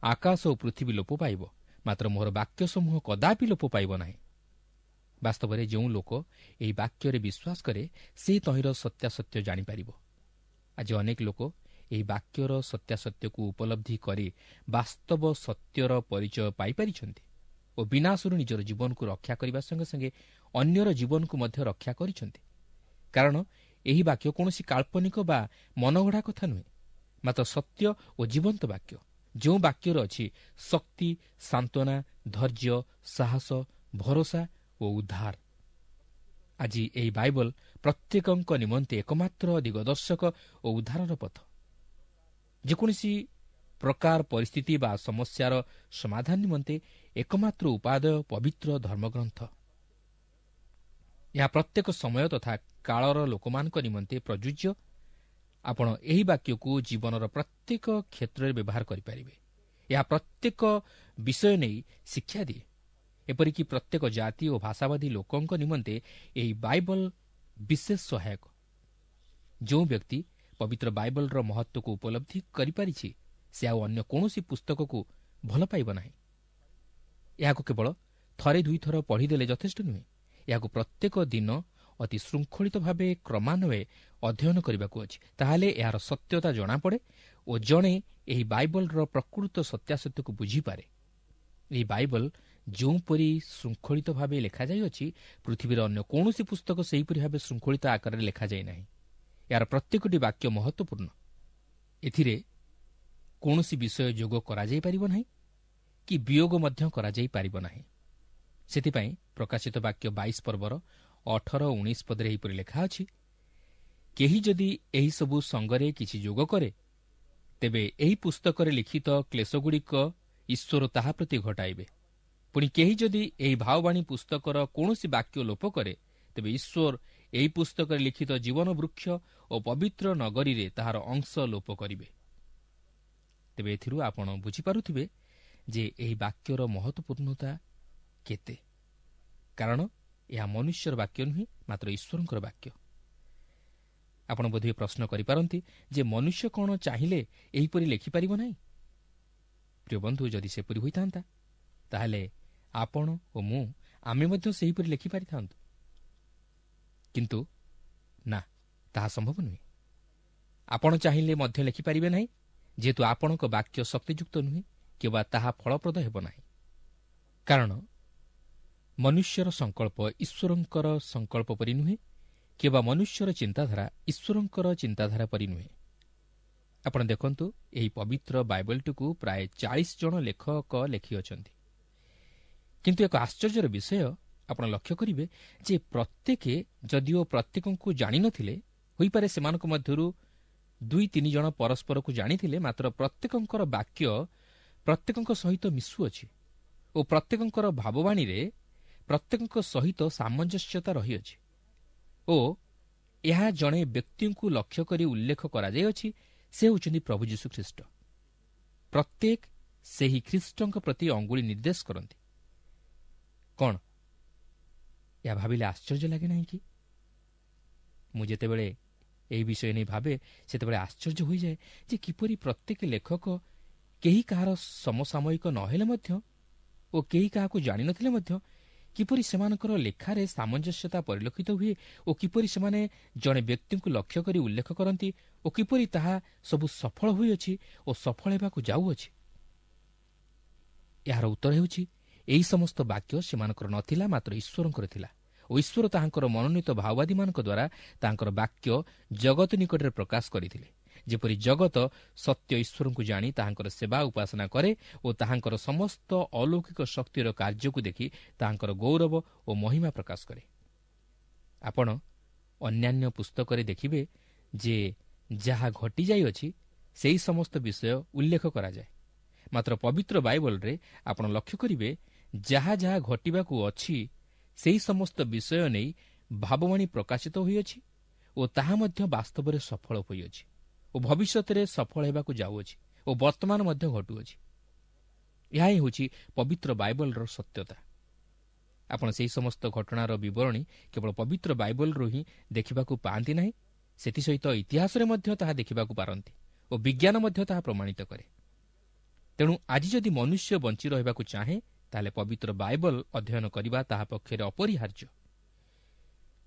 ଆକାଶ ଓ ପୃଥିବୀ ଲୋପ ପାଇବ, ମାତ୍ର ମୋର ବାକ୍ୟ ସମୂହ କଦାପି ଲୋପ ପାଇବ ନାହିଁ। ବାସ୍ତବରେ ଯେଉଁ ଲୋକ ଏହି ବାକ୍ୟରେ ବିଶ୍ୱାସ କରେ, ସେ ତହିଁର ସତ୍ୟାସତ୍ୟ ଜାଣିପାରିବ। ଆଜି ଅନେକ ଲୋକ ଏହି ବାକ୍ୟର ସତ୍ୟାସତ୍ୟକୁ ଉପଲବ୍ଧି କରି ବାସ୍ତବ ସତ୍ୟର ପରିଚୟ ପାଇପାରିଛନ୍ତି ଓ ବିନାଶରୁ ନିଜର ଜୀବନକୁ ରକ୍ଷା କରିବା ସଙ୍ଗେ ସଙ୍ଗେ ଅନ୍ୟର ଜୀବନକୁ ମଧ୍ୟ ରକ୍ଷା କରିଛନ୍ତି। କାରଣ ଏହି ବାକ୍ୟ କୌଣସି କାଳ୍ପନିକ ବା ମନଗଢ଼ା କଥା ନୁହେଁ, ମାତ୍ର ସତ୍ୟ ଓ ଜୀବନ୍ତ ବାକ୍ୟ, ଯେଉଁ ବାକ୍ୟରେ ଅଛି ଶକ୍ତି, ସାନ୍ତ୍ୱନା, ଧୈର୍ଯ୍ୟ, ସାହସ, ଭରସା ଓ ଉଦ୍ଧାର। ଆଜି ଏହି ବାଇବଲ ପ୍ରତ୍ୟେକଙ୍କ ନିମନ୍ତେ ଏକମାତ୍ର ଦିଗଦର୍ଶକ ଓ ଉଦ୍ଧାରର ପଥ। ଯେକୌଣସି ପ୍ରକାର ପରିସ୍ଥିତି ବା ସମସ୍ୟାର ସମାଧାନ ନିମନ୍ତେ ଏକମାତ୍ର ଉପାଦେୟ ପବିତ୍ର ଧର୍ମଗ୍ରନ୍ଥ। ଏହା ପ୍ରତ୍ୟେକ ସମୟ ତଥା କାଳର ଲୋକମାନଙ୍କ ନିମନ୍ତେ ପ୍ରଯୁଜ୍ୟ। ଆପଣ ଏହି ବାକ୍ୟକୁ ଜୀବନର ପ୍ରତ୍ୟେକ କ୍ଷେତ୍ରରେ ବ୍ୟବହାର କରିପାରିବେ। ଏହା ପ୍ରତ୍ୟେକ ବିଷୟ ନେଇ ଶିକ୍ଷା ଦିଏ। ଏପରିକି ପ୍ରତ୍ୟେକ ଜାତି ଓ ଭାଷାବାଦୀ ଲୋକଙ୍କ ନିମନ୍ତେ ଏହି ବାଇବଲ ବିଶେଷ ସହାୟକ। ଯେଉଁ ବ୍ୟକ୍ତି ପବିତ୍ର ବାଇବଲର ମହତ୍ତ୍ୱକୁ ଉପଲବ୍ଧି କରିପାରିଛି, ସେ ଆଉ ଅନ୍ୟ କୌଣସି ପୁସ୍ତକକୁ ଭଲ ପାଇବ ନାହିଁ। ଏହାକୁ କେବଳ ଥରେ ଦୁଇଥର ପଢ଼ିଦେଲେ ଯଥେଷ୍ଟ ନୁହେଁ, ଏହାକୁ ପ୍ରତ୍ୟେକ ଦିନ ଅତି ଶୃଙ୍ଖଳିତ ଭାବେ କ୍ରମାନ୍ୱୟରେ ଅଧ୍ୟୟନ କରିବାକୁ ଅଛି। ତାହେଲେ ଏହାର ସତ୍ୟତା ଜଣାପଡ଼େ ଓ ଜଣେ ଏହି ବାଇବଲର ପ୍ରକୃତ ସତ୍ୟାସତ୍ୟକୁ ବୁଝିପାରେ। ଏହି ବାଇବଲ ଯେଉଁପରି ଶୃଙ୍ଖଳିତ ଭାବେ ଲେଖାଯାଇଅଛି, ପୃଥିବୀର ଅନ୍ୟ କୌଣସି ପୁସ୍ତକ ସେହିପରି ଭାବେ ଶୃଙ୍ଖଳିତ ଆକାରରେ ଲେଖାଯାଇ ନାହିଁ। ଏହାର ପ୍ରତ୍ୟେକଟି ବାକ୍ୟ ମହତ୍ତ୍ୱପୂର୍ଣ୍ଣ। ଏଥିରେ କୌଣସି ବିଷୟ ଯୋଗ କରାଯାଇପାରିବ ନାହିଁ କି ବିୟୋଗ ମଧ୍ୟ କରାଯାଇପାରିବ ନାହିଁ। ସେଥିପାଇଁ ପ୍ରକାଶିତ ବାକ୍ୟ 22 ପର୍ବର 18-19 ପଦରେ ଏହିପରି ଲେଖା ଅଛି, କେହି ଯଦି ଏହିସବୁ ସଙ୍ଗରେ କିଛି ଯୋଗ କରେ, ତେବେ ଏହି ପୁସ୍ତକରେ ଲିଖିତ କ୍ଲେଶଗୁଡ଼ିକ ଈଶ୍ୱର ତାହା ପ୍ରତି ଘଟାଇବେ। ପୁଣି କେହି ଯଦି ଏହି ଭାବବାଣୀ ପୁସ୍ତକର କୌଣସି ବାକ୍ୟ ଲୋପ କରେ, ତେବେ ଈଶ୍ୱର ଏହି ପୁସ୍ତକରେ ଲିଖିତ ଜୀବନ ବୃକ୍ଷ ଓ ପବିତ୍ର ନଗରୀରେ ତାହାର ଅଂଶ ଲୋପ କରିବେ। ତେବେ ଏଥିରୁ ଆପଣ ବୁଝିପାରୁଥିବେ ଯେ ଏହି ବାକ୍ୟର ମହତ୍ତ୍ୱପୂର୍ଣ୍ଣତା କେତେ, କାରଣ ଏହା ମନୁଷ୍ୟର ବାକ୍ୟ ନୁହେଁ, ମାତ୍ର ଈଶ୍ୱରଙ୍କର ବାକ୍ୟ। ଆପଣ ବୋଧହୁଏ ପ୍ରଶ୍ନ କରିପାରନ୍ତି ଯେ ମନୁଷ୍ୟ କ'ଣ ଚାହିଁଲେ ଏହିପରି ଲେଖିପାରିବ ନାହିଁ? ପ୍ରିୟ ବନ୍ଧୁ, ଯଦି ସେପରି ହୋଇଥାନ୍ତା ତାହେଲେ ଆପଣ ଓ ମୁଁ ଆମେ ମଧ୍ୟ ସେହିପରି ଲେଖିପାରିଥାନ୍ତୁ। କିନ୍ତୁ ନା, ତାହା ସମ୍ଭବ ନୁହେଁ। ଆପଣ ଚାହିଁଲେ ମଧ୍ୟ ଲେଖିପାରିବେ ନାହିଁ, ଯେହେତୁ ଆପଣଙ୍କ ବାକ୍ୟ ଶକ୍ତିଯୁକ୍ତ ନୁହେଁ କିମ୍ବା ତାହା ଫଳପ୍ରଦ ହେବ ନାହିଁ। କାରଣ ମନୁଷ୍ୟର ସଂକଳ୍ପ ଈଶ୍ୱରଙ୍କର ସଂକଳ୍ପ ପରି ନୁହେଁ, କିମ୍ବା ମନୁଷ୍ୟର ଚିନ୍ତାଧାରା ଈଶ୍ୱରଙ୍କର ଚିନ୍ତାଧାରା ପରି ନୁହେଁ। ଆପଣ ଦେଖନ୍ତୁ, ଏହି ପବିତ୍ର ବାଇବଲଟିକୁ ପ୍ରାୟ 40 ଜଣ ଲେଖକ ଲେଖିଅଛନ୍ତି। କିନ୍ତୁ ଏକ ଆଶ୍ଚର୍ଯ୍ୟର ବିଷୟ ଆପଣ ଲକ୍ଷ୍ୟ କରିବେ ଯେ ପ୍ରତ୍ୟେକ ଯଦିଓ ପ୍ରତ୍ୟେକଙ୍କୁ ଜାଣିନଥିଲେ, ହୋଇପାରେ ସେମାନଙ୍କ ମଧ୍ୟରୁ 2-3 ଜଣ ପରସ୍ପରକୁ ଜାଣିଥିଲେ, ମାତ୍ର ପ୍ରତ୍ୟେକଙ୍କର ବାକ୍ୟ ପ୍ରତ୍ୟେକଙ୍କ ସହିତ ମିଶୁଅଛି ଓ ପ୍ରତ୍ୟେକଙ୍କର ଭାବବାଣୀରେ ପ୍ରତ୍ୟେକଙ୍କ ସହିତ ସାମଞ୍ଜସ୍ୟତା ରହିଅଛି ଓ ଏହା ଜଣେ ବ୍ୟକ୍ତିଙ୍କୁ ଲକ୍ଷ୍ୟ କରି ଉଲ୍ଲେଖ କରାଯାଇଅଛି, ସେ ହେଉଛନ୍ତି ପ୍ରଭୁ ଯୀଶୁଖ୍ରୀଷ୍ଟ। ପ୍ରତ୍ୟେକ ସେହି ଖ୍ରୀଷ୍ଟଙ୍କ ପ୍ରତି ଅଙ୍ଗୁଳି ନିର୍ଦ୍ଦେଶ କରନ୍ତି। କ'ଣ ଏହା ଭାବିଲେ ଆଶ୍ଚର୍ଯ୍ୟ ଲାଗେ ନାହିଁ କି? ମୁଁ ଯେତେବେଳେ ଏହି ବିଷୟ ନେଇ ଭାବେ ସେତେବେଳେ ଆଶ୍ଚର୍ଯ୍ୟ ହୋଇଯାଏ ଯେ କିପରି ପ୍ରତ୍ୟେକ ଲେଖକ କେହି କାହାର ସମସାମୟିକ ନହେଲେ ମଧ୍ୟ ଓ କେହି କାହାକୁ ଜାଣିନଥିଲେ ମଧ୍ୟ କିପରି ସେମାନଙ୍କର ଲେଖାରେ ସାମଞ୍ଜସ୍ୟତା ପରିଲକ୍ଷିତ ହୁଏ ଓ କିପରି ସେମାନେ ଜଣେ ବ୍ୟକ୍ତିଙ୍କୁ ଲକ୍ଷ୍ୟ କରି ଉଲ୍ଲେଖ କରନ୍ତି ଓ କିପରି ତାହା ସବୁ ସଫଳ ହୋଇଅଛି ଓ ସଫଳ ହେବାକୁ ଯାଉଅଛି। ଏହାର ଉତ୍ତର ହେଉଛି ଏହି ସମସ୍ତ ବାକ୍ୟ ସେମାନଙ୍କର ନଥିଲା, ମାତ୍ର ଈଶ୍ୱରଙ୍କର ଥିଲା ଓ ଈଶ୍ୱର ତାହାଙ୍କର ମନୋନୀତ ଭାଓବାଦୀମାନଙ୍କ ଦ୍ୱାରା ତାଙ୍କର ବାକ୍ୟ ଜଗତ ନିକଟରେ ପ୍ରକାଶ କରିଥିଲେ, ଯେପରି ଜଗତ ସତ୍ୟ ଈଶ୍ୱରଙ୍କୁ ଜାଣି ତାହାଙ୍କର ସେବା ଉପାସନା କରେ ଓ ତାହାଙ୍କର ସମସ୍ତ ଅଲୌକିକ ଶକ୍ତିର କାର୍ଯ୍ୟକୁ ଦେଖି ତାହାଙ୍କର ଗୌରବ ଓ ମହିମା ପ୍ରକାଶ କରେ। ଆପଣ ଅନ୍ୟାନ୍ୟ ପୁସ୍ତକରେ ଦେଖିବେ ଯେ ଯାହା ଘଟିଯାଇଅଛି ସେହି ସମସ୍ତ ବିଷୟ ଉଲ୍ଲେଖ କରାଯାଏ, ମାତ୍ର ପବିତ୍ର ବାଇବଲରେ ଆପଣ ଲକ୍ଷ୍ୟ କରିବେ ଯାହା ଯାହା ଘଟିବାକୁ ଅଛି ସେହି ସମସ୍ତ ବିଷୟ ନେଇ ଭାବବାଣୀ ପ୍ରକାଶିତ ହୋଇଅଛି ଓ ତାହା ମଧ୍ୟ ବାସ୍ତବରେ ସଫଳ ହୋଇଅଛି ଓ ଭବିଷ୍ୟତରେ ସଫଳ ହେବାକୁ ଯାଉଅଛି ଓ ବର୍ତ୍ତମାନ ମଧ୍ୟ ଘଟୁଅଛି। ଏହା ହିଁ ହେଉଛି ପବିତ୍ର ବାଇବଲର ସତ୍ୟତା। ଆପଣ ସେହି ସମସ୍ତ ଘଟଣାର ବିବରଣୀ କେବଳ ପବିତ୍ର ବାଇବଲରୁ ହିଁ ଦେଖିବାକୁ ପାଆନ୍ତି ନାହିଁ, ସେଥିସହିତ ଇତିହାସରେ ମଧ୍ୟ ତାହା ଦେଖିବାକୁ ପାରନ୍ତି ଓ ବିଜ୍ଞାନ ମଧ୍ୟ ତାହା ପ୍ରମାଣିତ କରେ। ତେଣୁ ଆଜି ଯଦି ମନୁଷ୍ୟ ବଞ୍ଚି ରହିବାକୁ ଚାହେଁ ତାହେଲେ ପବିତ୍ର ବାଇବଲ ଅଧ୍ୟୟନ କରିବା ତାହା ପକ୍ଷରେ ଅପରିହାର୍ଯ୍ୟ।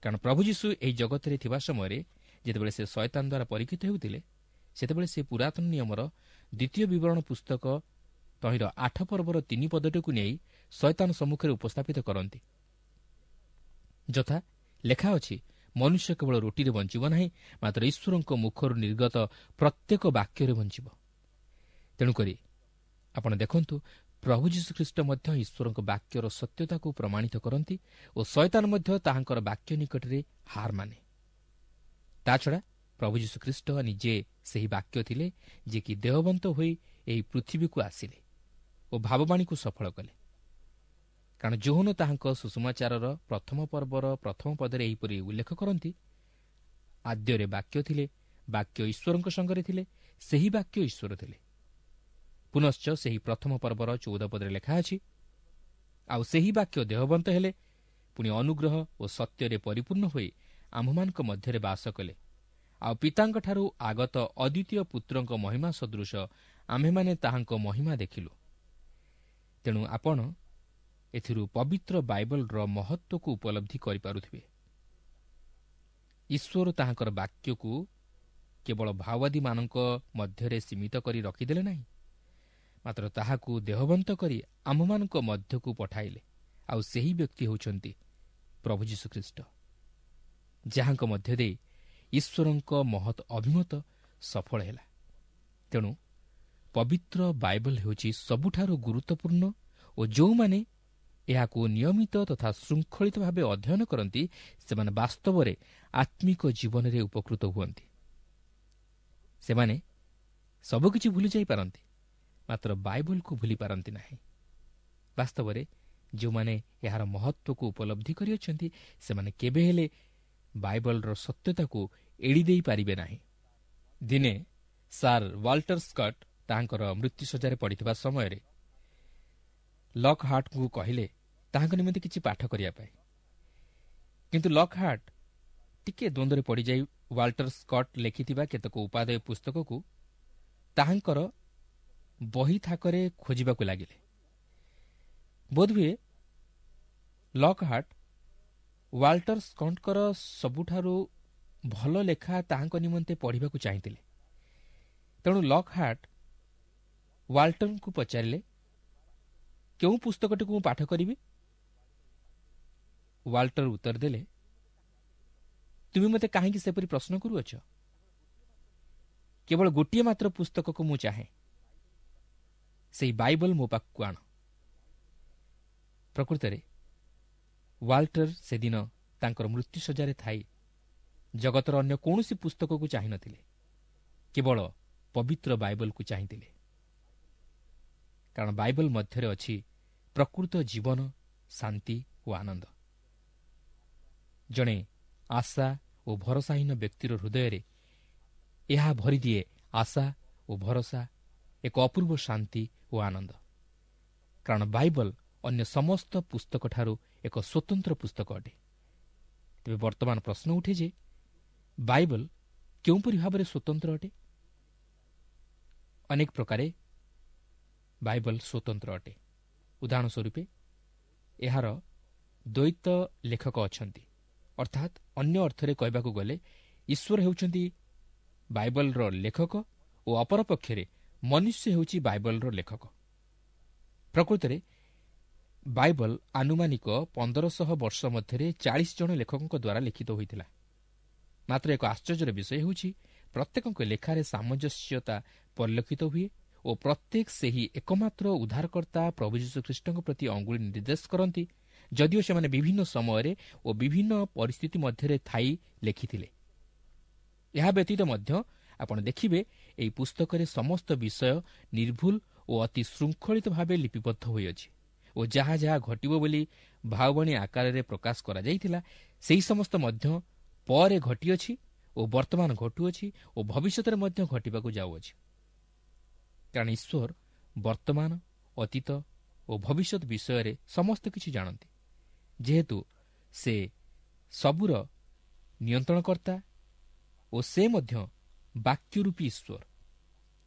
କାରଣ ପ୍ରଭୁ ଯୀଶୁ ଏହି ଜଗତରେ ଥିବା ସମୟରେ ଯେତେବେଳେ ସେ ଶୟତାନ ଦ୍ୱାରା ପରୀକ୍ଷିତ ହେଉଥିଲେ, ସେତେବେଳେ ସେ ପୁରାତନ ନିୟମର ଦ୍ୱିତୀୟ ବିବରଣ ପୁସ୍ତକ ତହିଁର 8 ପର୍ବର 3 ପଦଟିକୁ ନେଇ ଶୟତାନ ସମ୍ମୁଖରେ ଉପସ୍ଥାପିତ କରନ୍ତି। ଯଥା ଲେଖା ଅଛି, ମନୁଷ୍ୟ କେବଳ ରୋଟିରେ ବଞ୍ଚିବ ନାହିଁ, ମାତ୍ର ଈଶ୍ୱରଙ୍କ ମୁଖରୁ ନିର୍ଗତ ପ୍ରତ୍ୟେକ ବାକ୍ୟରେ ବଞ୍ଚିବ। ତେଣୁକରି ଆପଣ ଦେଖନ୍ତୁ, ପ୍ରଭୁ ଯୀଶୁଖ୍ରୀଷ୍ଟ ମଧ୍ୟ ଈଶ୍ୱରଙ୍କ ବାକ୍ୟର ସତ୍ୟତାକୁ ପ୍ରମାଣିତ କରନ୍ତି ଓ ଶୟତାନ ମଧ୍ୟ ତାହାଙ୍କର ବାକ୍ୟ ନିକଟରେ ହାର ମାନେ। ତାଛଡ଼ା ପ୍ରଭୁ ଯୀଶୁଖ୍ରୀଷ୍ଟ ନିଜେ ସେହି ବାକ୍ୟ ଥିଲେ ଯିଏକି ଦେହବନ୍ତ ହୋଇ ଏହି ପୃଥିବୀକୁ ଆସିଲେ ଓ ଭାବବାଣୀକୁ ସଫଳ କଲେ। କାରଣ ଯୋହନ ତାହାଙ୍କ ସୁସମାଚାରର ପ୍ରଥମ ପର୍ବର ପ୍ରଥମ ପଦରେ ଏହିପରି ଉଲ୍ଲେଖ କରନ୍ତି, ଆଦ୍ୟରେ ବାକ୍ୟ ଥିଲେ, ବାକ୍ୟ ଈଶ୍ୱରଙ୍କ ସଙ୍ଗରେ ଥିଲେ, ସେହି ବାକ୍ୟ ଈଶ୍ୱର ଥିଲେ। ପୁନଶ୍ଚ ସେହି ପ୍ରଥମ ପର୍ବର 14 ପଦରେ ଲେଖା ଅଛି, ଆଉ ସେହି ବାକ୍ୟ ଦେହବନ୍ତ ହେଲେ, ପୁଣି ଅନୁଗ୍ରହ ଓ ସତ୍ୟରେ ପରିପୂର୍ଣ୍ଣ ହୋଇ ଆମ୍ଭମାନଙ୍କ ମଧ୍ୟରେ ବାସ କଲେ, ଆଉ ପିତାଙ୍କଠାରୁ ଆଗତ ଅଦ୍ୱିତୀୟ ପୁତ୍ରଙ୍କ ମହିମା ସଦୃଶ ଆମ୍ଭେମାନେ ତାହାଙ୍କ ମହିମା ଦେଖିଲୁ। ତେଣୁ ଆପଣ ଏଥିରୁ ପବିତ୍ର ବାଇବଲର ମହତ୍ତ୍ୱକୁ ଉପଲବ୍ଧି କରିପାରୁଥିବେ। ଈଶ୍ୱର ତାହାଙ୍କର ବାକ୍ୟକୁ କେବଳ ଭାଓବାଦୀମାନଙ୍କ ମଧ୍ୟରେ ସୀମିତ କରି ରଖିଦେଲେ ନାହିଁ, ମାତ୍ର ତାହାକୁ ଦେହବନ୍ତ କରି ଆମ୍ଭମାନଙ୍କ ମଧ୍ୟକୁ ପଠାଇଲେ। ଆଉ ସେହି ବ୍ୟକ୍ତି ହେଉଛନ୍ତି ପ୍ରଭୁ ଯୀଶୁଖ୍ରୀଷ୍ଟ, ଯାହାଙ୍କ ମଧ୍ୟ ଦେଇ ଈଶ୍ୱରଙ୍କ ମହତ୍ ଅଭିମତ ସଫଳ ହେଲା। ତେଣୁ ପବିତ୍ର ବାଇବଲ ହେଉଛି ସବୁଠାରୁ ଗୁରୁତ୍ୱପୂର୍ଣ୍ଣ ଓ ଯେଉଁମାନେ ଏହାକୁ ନିୟମିତ ତଥା ଶୃଙ୍ଖଳିତ ଭାବେ ଅଧ୍ୟୟନ କରନ୍ତି ସେମାନେ ବାସ୍ତବରେ ଆତ୍ମିକ ଜୀବନରେ ଉପକୃତ ହୁଅନ୍ତି। ସେମାନେ ସବୁକିଛି ଭୁଲି ଯାଇପାରନ୍ତି, ମାତ୍ର ବାଇବଲକୁ ଭୁଲି ପାରନ୍ତି ନାହିଁ। ବାସ୍ତବରେ ଯେଉଁମାନେ ଏହାର ମହତ୍ତ୍ୱକୁ ଉପଲବ୍ଧି କରିଅଛନ୍ତି ସେମାନେ କେବେ ହେଲେ ବାଇବଲର ସତ୍ୟତାକୁ ଏଡ଼ି ଦେଇପାରିବେ ନାହିଁ। ଦିନେ ସାର୍ ୱାଲ୍ଟର ସ୍କଟ୍ ତାହାଙ୍କର ମୃତ୍ୟୁଶଯ୍ୟାରେ ପଡ଼ିଥିବା ସମୟରେ ଲକହାର୍ଟଙ୍କୁ କହିଲେ ତାହାଙ୍କ ନିମନ୍ତେ କିଛି ପାଠ କରିବା ପାଇଁ। କିନ୍ତୁ ଲକହାର୍ଟ ଟିକିଏ ଦ୍ୱନ୍ଦ୍ୱରେ ପଡ଼ିଯାଇ ୱାଲ୍ଟର ସ୍କଟ୍ ଲେଖିଥିବା କେତେକ ଉପାଦେୟ ପୁସ୍ତକକୁ ତାହାଙ୍କର ବହି ଥାକରେ ଖୋଜିବାକୁ ଲାଗିଲେ। ବୋଧହୁଏ ଲକହାର୍ଟ ୱାଲ୍ଟର ସ୍କଟ୍ଙ୍କର ସବୁଠାରୁ ଭଲ ଲେଖା ତାହାଙ୍କ ନିମନ୍ତେ ପଢ଼ିବାକୁ ଚାହିଁଥିଲେ। ତେଣୁ ଲକହାର୍ଟ ୱାଲ୍ଟରଙ୍କୁ ପଚାରିଲେ, କେଉଁ ପୁସ୍ତକଟିକୁ ମୁଁ ପାଠ କରିବି? ୱାଲ୍ଟର ଉତ୍ତର ଦେଲେ, ତୁମେ ମୋତେ କାହିଁକି ସେପରି ପ୍ରଶ୍ନ କରୁଅଛ? କେବଳ ଗୋଟିଏ ମାତ୍ର ପୁସ୍ତକକୁ ମୁଁ ଚାହେଁ, ସେଇ ବାଇବଲ ମୋ ପାଖକୁ ଆଣ। ପ୍ରକୃତରେ ୱାଲ୍ଟର ସେଦିନ ତାଙ୍କର ମୃତ୍ୟୁଶଯ୍ୟାରେ ଥାଇ ଜଗତର ଅନ୍ୟ କୌଣସି ପୁସ୍ତକକୁ ଚାହିଁନଥିଲେ, କେବଳ ପବିତ୍ର ବାଇବଲକୁ ଚାହିଁଥିଲେ। କାରଣ ବାଇବଲ ମଧ୍ୟରେ ଅଛି ପ୍ରକୃତ ଜୀବନ, ଶାନ୍ତି ଓ ଆନନ୍ଦ। ଜଣେ ଆଶା ଓ ଭରସାହୀନ ବ୍ୟକ୍ତିର ହୃଦୟରେ ଏହା ଭରିଦିଏ ଆଶା ଓ ଭରସା, ଏକ ଅପୂର୍ବ ଶାନ୍ତି ଓ ଆନନ୍ଦ। କାରଣ ବାଇବଲ ଅନ୍ୟ ସମସ୍ତ ପୁସ୍ତକଠାରୁ ଏକ ସ୍ୱତନ୍ତ୍ର ପୁସ୍ତକ ଅଟେ। ତେବେ ବର୍ତ୍ତମାନ ପ୍ରଶ୍ନ ଉଠେ ଯେ ବାଇବଲ କେଉଁପରି ଭାବରେ ସ୍ୱତନ୍ତ୍ର ଅଟେ? ଅନେକ ପ୍ରକାରେ ବାଇବଲ ସ୍ୱତନ୍ତ୍ର ଅଟେ। ଉଦାହରଣ ସ୍ୱରୂପେ ଏହାର ଦ୍ୱୈତ ଲେଖକ ଅଛନ୍ତି, ଅର୍ଥାତ୍ ଅନ୍ୟ ଅର୍ଥରେ କହିବାକୁ ଗଲେ ଈଶ୍ୱର ହେଉଛନ୍ତି ବାଇବଲର ଲେଖକ ଓ ଅପରପକ୍ଷରେ ମନୁଷ୍ୟ ହେଉଛି ବାଇବଲର ଲେଖକ। ପ୍ରକୃତରେ ବାଇବଲ ଆନୁମାନିକ 1500 ବର୍ଷ ମଧ୍ୟରେ 40 ଜଣ ଲେଖକଙ୍କ ଦ୍ୱାରା ଲିଖିତ ହୋଇଥିଲା। ମାତ୍ର ଏକ ଆଶ୍ଚର୍ଯ୍ୟର ବିଷୟ ହେଉଛି ପ୍ରତ୍ୟେକଙ୍କ ଲେଖାରେ ସାମଞ୍ଜସ୍ୟତା ପରିଲକ୍ଷିତ ହୁଏ ଓ ପ୍ରତ୍ୟେକ ସେହି ଏକମାତ୍ର ଉଦ୍ଧାରକର୍ତ୍ତା ପ୍ରଭୁ ଯୀଶୁଖ୍ରୀଷ୍ଟଙ୍କ ପ୍ରତି ଅଙ୍ଗୁଳି ନିର୍ଦ୍ଦେଶ କରନ୍ତି, ଯଦିଓ ସେମାନେ ବିଭିନ୍ନ ସମୟରେ ଓ ବିଭିନ୍ନ ପରିସ୍ଥିତି ମଧ୍ୟରେ ଥାଇ ଲେଖିଥିଲେ। ଏହା ବ୍ୟତୀତ ମଧ୍ୟ ଆପଣ ଦେଖିବେ ଏହି ପୁସ୍ତକରେ ସମସ୍ତ ବିଷୟ ନିର୍ଭୁଲ ଓ ଅତି ଶୃଙ୍ଖଳିତ ଭାବେ ଲିପିବଦ୍ଧ ହୋଇଅଛି ଓ ଯାହା ଯାହା ଘଟିବ ବୋଲି ଭାବବାଣୀ ଆକାରରେ ପ୍ରକାଶ କରାଯାଇଥିଲା ସେହି ସମସ୍ତ ମଧ୍ୟ ପରେ ଘଟିଅଛି ଓ ବର୍ତ୍ତମାନ ଘଟୁଅଛି ଓ ଭବିଷ୍ୟତରେ ମଧ୍ୟ ଘଟିବାକୁ ଯାଉଅଛି। କାରଣ ଈଶ୍ୱର ବର୍ତ୍ତମାନ, ଅତୀତ ଓ ଭବିଷ୍ୟତ ବିଷୟରେ ସମସ୍ତ କିଛି ଜାଣନ୍ତି। ଯେହେତୁ ସେ ସବୁର ନିୟନ୍ତ୍ରଣକର୍ତ୍ତା ଓ ସେ ମଧ୍ୟ ବାକ୍ୟରୂପୀ ଈଶ୍ୱର।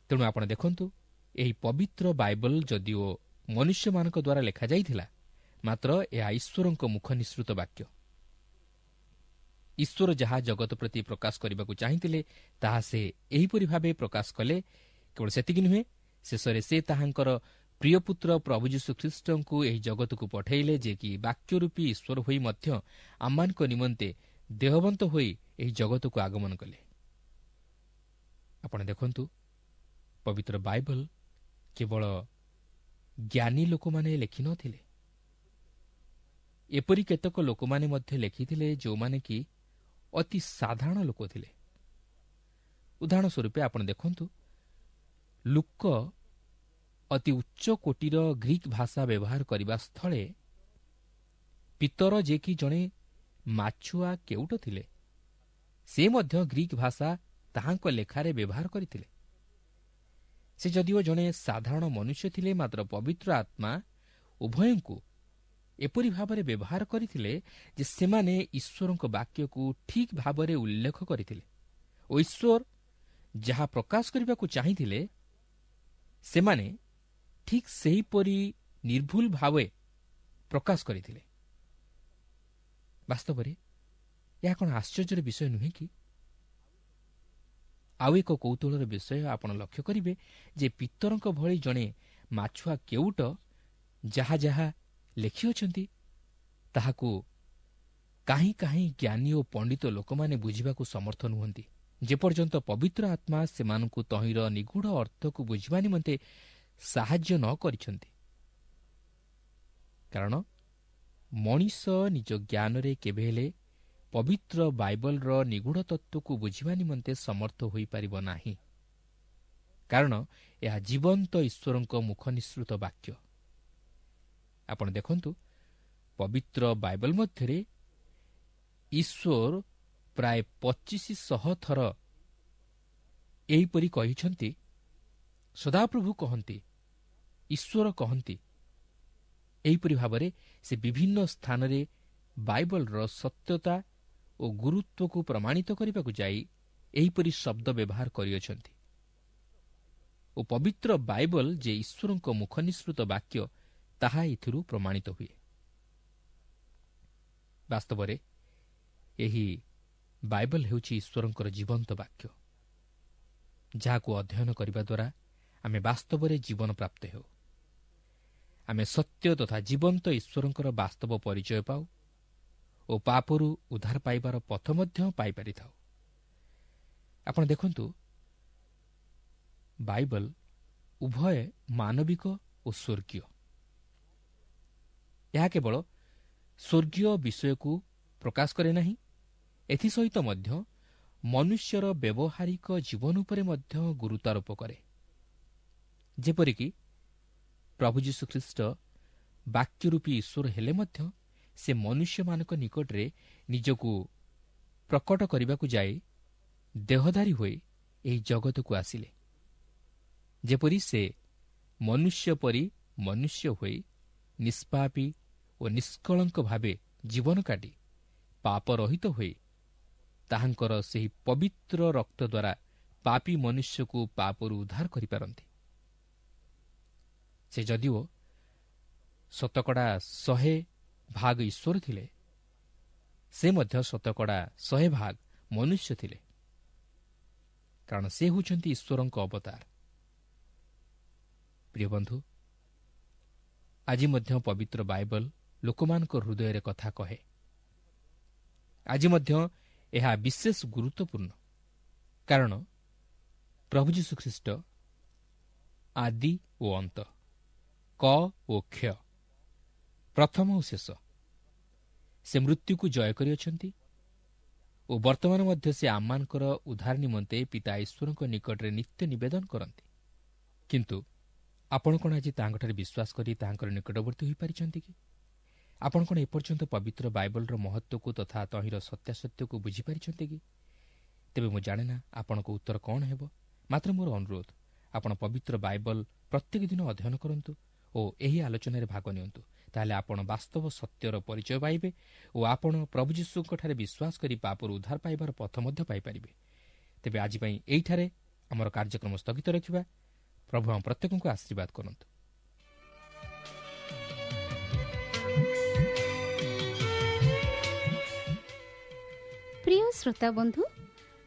ତେଣୁ ଆପଣ ଦେଖନ୍ତୁ, ଏହି ପବିତ୍ର ବାଇବଲ ଯଦିଓ ମନୁଷ୍ୟମାନଙ୍କ ଦ୍ୱାରା ଲେଖାଯାଇଥିଲା, ମାତ୍ର ଏହା ଈଶ୍ୱରଙ୍କ ମୁଖ ନିଃସୃତ ବାକ୍ୟ। ଈଶ୍ୱର ଯାହା ଜଗତ ପ୍ରତି ପ୍ରକାଶ କରିବାକୁ ଚାହିଁଥିଲେ ତାହା ସେ ଏହିପରି ଭାବେ ପ୍ରକାଶ କଲେ। କେବଳ ସେତିକି ନୁହେଁ, ଶେଷରେ ସେ ତାହାଙ୍କର ପ୍ରିୟପୁତ୍ର ପ୍ରଭୁ ଯୀଶୁଖ୍ରୀଷ୍ଟଙ୍କୁ ଏହି ଜଗତକୁ ପଠାଇଲେ, ଯେ କି ବାକ୍ୟରୂପୀ ଈଶ୍ୱର ହୋଇ ମଧ୍ୟ ଆମମାନଙ୍କ ନିମନ୍ତେ ଦେହବନ୍ତ ହୋଇ ଏହି ଜଗତକୁ ଆଗମନ କଲେ। ଆପଣ ଦେଖନ୍ତୁ, ପବିତ୍ର ବାଇବଲ କେବଳ ଜ୍ଞାନୀ ଲୋକମାନେ ଲେଖିନଥିଲେ, ଏପରି କେତେକ ଲୋକମାନେ ମଧ୍ୟ ଲେଖିଥିଲେ ଯେଉଁମାନେ କି ଅତି ସାଧାରଣ ଲୋକ ଥିଲେ। ଉଦାହରଣ ସ୍ୱରୂପେ ଆପଣ ଦେଖନ୍ତୁ, ଲୁକ ଅତି ଉଚ୍ଚ କୋଟିର ଗ୍ରୀକ୍ ଭାଷା ବ୍ୟବହାର କରିବା ସ୍ଥଳେ ପିତର, ଯେ କି ଜଣେ ମାଛୁଆ କେଉଟ ଥିଲେ, ସେ ମଧ୍ୟ ଗ୍ରୀକ୍ ଭାଷା ତାହାଙ୍କ ଲେଖାରେ ବ୍ୟବହାର କରିଥିଲେ। ସେ ଯଦିଓ ଜଣେ ସାଧାରଣ ମନୁଷ୍ୟ ଥିଲେ, ମାତ୍ର ପବିତ୍ର ଆତ୍ମା ଉଭୟଙ୍କୁ ଏପରି ଭାବରେ ବ୍ୟବହାର କରିଥିଲେ ଯେ ସେମାନେ ଈଶ୍ୱରଙ୍କ ବାକ୍ୟକୁ ଠିକ୍ ଭାବରେ ଉଲ୍ଲେଖ କରିଥିଲେ ଓ ଈଶ୍ୱର ଯାହା ପ୍ରକାଶ କରିବାକୁ ଚାହିଁଥିଲେ ସେମାନେ ଠିକ୍ ସେହିପରି ନିର୍ଭୁଲ ଭାବେ ପ୍ରକାଶ କରିଥିଲେ। ବାସ୍ତବରେ ଏହା କ'ଣ ଆଶ୍ଚର୍ଯ୍ୟର ବିଷୟ ନୁହେଁ କି? ଆଉ ଏକ କୌତୂହଳର ବିଷୟ ଆପଣ ଲକ୍ଷ୍ୟ କରିବେ ଯେ ପିତରଙ୍କ ଭଳି ଜଣେ ମାଛୁଆ କେଉଟ ଯାହା ଯାହା ଲେଖିଅଛନ୍ତି ତାହାକୁ କାହିଁ କାହିଁ ଜ୍ଞାନୀ ଓ ପଣ୍ଡିତ ଲୋକମାନେ ବୁଝିବାକୁ ସମର୍ଥ ନୁହନ୍ତି, ଯେପର୍ଯ୍ୟନ୍ତ ପବିତ୍ର ଆତ୍ମା ସେମାନଙ୍କୁ ତହିଁର ନିଗୂଢ଼ ଅର୍ଥକୁ ବୁଝିବା ନିମନ୍ତେ ସାହାଯ୍ୟ ନ କରିଛନ୍ତି। କାରଣ ମଣିଷ ନିଜ ଜ୍ଞାନରେ କେବେ ହେଲେ ପବିତ୍ର ବାଇବଲର ନିଗୂଢ଼ ତତ୍ତ୍ୱକୁ ବୁଝିବା ନିମନ୍ତେ ସମର୍ଥ ହୋଇପାରିବ ନାହିଁ, କାରଣ ଏହା ଜୀବନ୍ତ ଈଶ୍ୱରଙ୍କ ମୁଖ ନିଃସୃତ ବାକ୍ୟ। ଆପଣ ଦେଖନ୍ତୁ, ପବିତ୍ର ବାଇବଲ ମଧ୍ୟରେ ଈଶ୍ୱର ପ୍ରାୟ 2500 ଥର ଏହିପରି କହିଛନ୍ତି, ସଦାପ୍ରଭୁ କହନ୍ତି, ଈଶ୍ୱର କହନ୍ତି। ଏହିପରି ଭାବରେ ସେ ବିଭିନ୍ନ ସ୍ଥାନରେ ବାଇବଲର ସତ୍ୟତା ଓ ଗୁରୁତ୍ୱକୁ ପ୍ରମାଣିତ କରିବାକୁ ଯାଇ ଏହିପରି ଶବ୍ଦ ବ୍ୟବହାର କରିଅଛନ୍ତି ଓ ପବିତ୍ର ବାଇବଲ ଯେ ଈଶ୍ୱରଙ୍କ ମୁଖ ନିଃସୃତ ବାକ୍ୟ ତାହା ଏଥିରୁ ପ୍ରମାଣିତ ହୁଏ। ବାସ୍ତବରେ ଏହି ବାଇବଲ ହେଉଛି ଈଶ୍ୱରଙ୍କର ଜୀବନ୍ତ ବାକ୍ୟ, ଯାହାକୁ ଅଧ୍ୟୟନ କରିବା ଦ୍ୱାରା ଆମେ ବାସ୍ତବରେ ଜୀବନ ପ୍ରାପ୍ତ ହେଉ। ଆମେ ସତ୍ୟ ତଥା ଜୀବନ୍ତ ଈଶ୍ୱରଙ୍କର ବାସ୍ତବ ପରିଚୟ ପାଉ ଓ ପାପରୁ ଉଦ୍ଧାର ପାଇବାର ପଥ ମଧ୍ୟ ପାଇପାରିଥାଉ। ଆପଣ ଦେଖନ୍ତୁ, ବାଇବଲ ଉଭୟ ମାନବିକ ଓ ସ୍ୱର୍ଗୀୟ। ଏହା କେବଳ ସ୍ୱର୍ଗୀୟ ବିଷୟକୁ ପ୍ରକାଶ କରେ ନାହିଁ, ଏଥିସହିତ ମଧ୍ୟ ମନୁଷ୍ୟର ବ୍ୟବହାରିକ ଜୀବନ ଉପରେ ମଧ୍ୟ ଗୁରୁତ୍ୱାରୋପ କରେ। ଯେପରିକି ପ୍ରଭୁ ଯୀଶୁଖ୍ରୀଷ୍ଟ ବାକ୍ୟରୂପୀ ଈଶ୍ୱର ହେଲେ ମଧ୍ୟ ସେ ମନୁଷ୍ୟମାନଙ୍କ ନିକଟରେ ନିଜକୁ ପ୍ରକଟ କରିବାକୁ ଯାଇ ଦେହଧାରୀ ହୋଇ ଏହି ଜଗତକୁ ଆସିଲେ। ଯେପରି ସେ ମନୁଷ୍ୟ ପରି ମନୁଷ୍ୟ ହୋଇ ନିଷ୍ପାପୀ ଓ ନିଷ୍କଳଙ୍କ ଭାବେ ଜୀବନ କାଟି ପାପରହିତ ହୋଇ ତାହାଙ୍କର ସେହି ପବିତ୍ର ରକ୍ତ ଦ୍ୱାରା ପାପୀ ମନୁଷ୍ୟକୁ ପାପରୁ ଉଦ୍ଧାର କରିପାରନ୍ତି। ସେ ଯଦିଓ 100% ଈଶ୍ୱର ଥିଲେ, ସେ ମଧ୍ୟ 100% ମନୁଷ୍ୟ ଥିଲେ, କାରଣ ସେ ହେଉଛନ୍ତି ଈଶ୍ୱରଙ୍କ ଅବତାର। ପ୍ରିୟ ବନ୍ଧୁ, ଆଜି ମଧ୍ୟ ପବିତ୍ର ବାଇବଲ ଲୋକମାନଙ୍କ ହୃଦୟରେ କଥା କହେ। ଆଜି ମଧ୍ୟ ଏହା ବିଶେଷ ଗୁରୁତ୍ୱପୂର୍ଣ୍ଣ, କାରଣ ପ୍ରଭୁ ଯୀଶୁଖ୍ରୀଷ୍ଟ ଆଦି ଓ ଅନ୍ତ, କ ଓ କ୍ଷ, ପ୍ରଥମ ଓ ଶେଷ। ସେ ମୃତ୍ୟୁକୁ ଜୟ କରିଅଛନ୍ତି ଓ ବର୍ତ୍ତମାନ ମଧ୍ୟ ସେ ଆମମାନଙ୍କର ଉଦ୍ଧାର ନିମନ୍ତେ ପିତା ଈଶ୍ୱରଙ୍କ ନିକଟରେ ନିତ୍ୟ ନିବେଦନ କରନ୍ତି। କିନ୍ତୁ ଆପଣ କ'ଣ ଆଜି ତାହାଙ୍କଠାରେ ବିଶ୍ୱାସ କରି ତାହାଙ୍କର ନିକଟବର୍ତ୍ତୀ ହୋଇପାରିଛନ୍ତି କି? ଆପଣ କ'ଣ ଏପର୍ଯ୍ୟନ୍ତ ପବିତ୍ର ବାଇବଲର ମହତ୍ତ୍ୱକୁ ତଥା ତହିଁର ସତ୍ୟାସତ୍ୟକୁ ବୁଝିପାରିଛନ୍ତି କି? ତେବେ ମୁଁ ଜାଣେ ନା ଆପଣଙ୍କ ଉତ୍ତର କ'ଣ ହେବ, ମାତ୍ର ମୋର ଅନୁରୋଧ, ଆପଣ ପବିତ୍ର ବାଇବଲ ପ୍ରତ୍ୟେକ ଦିନ ଅଧ୍ୟୟନ କରନ୍ତୁ ଓ ଏହି ଆଲୋଚନାରେ ଭାଗ ନିଅନ୍ତୁ। ତାହେଲେ ଆପଣ ବାସ୍ତବ ସତ୍ୟର ପରିଚୟ ପାଇବେ ଓ ଆପଣ ପ୍ରଭୁ ଯୀଶୁଙ୍କଠାରେ ବିଶ୍ୱାସ କରି ପାପରୁ ଉଦ୍ଧାର ପାଇବାର ପଥ ମଧ୍ୟ ପାଇପାରିବେ। ତେବେ ଆଜି ପାଇଁ ଏଇଠାରେ ଆମର କାର୍ଯ୍ୟକ୍ରମ ସ୍ଥଗିତ ରଖିବା। ପ୍ରଭୁ ଆମ ପ୍ରତ୍ୟେକଙ୍କୁ ଆଶୀର୍ବାଦ କରନ୍ତୁ। ପ୍ରିୟ ଶ୍ରୋତା ବନ୍ଧୁ,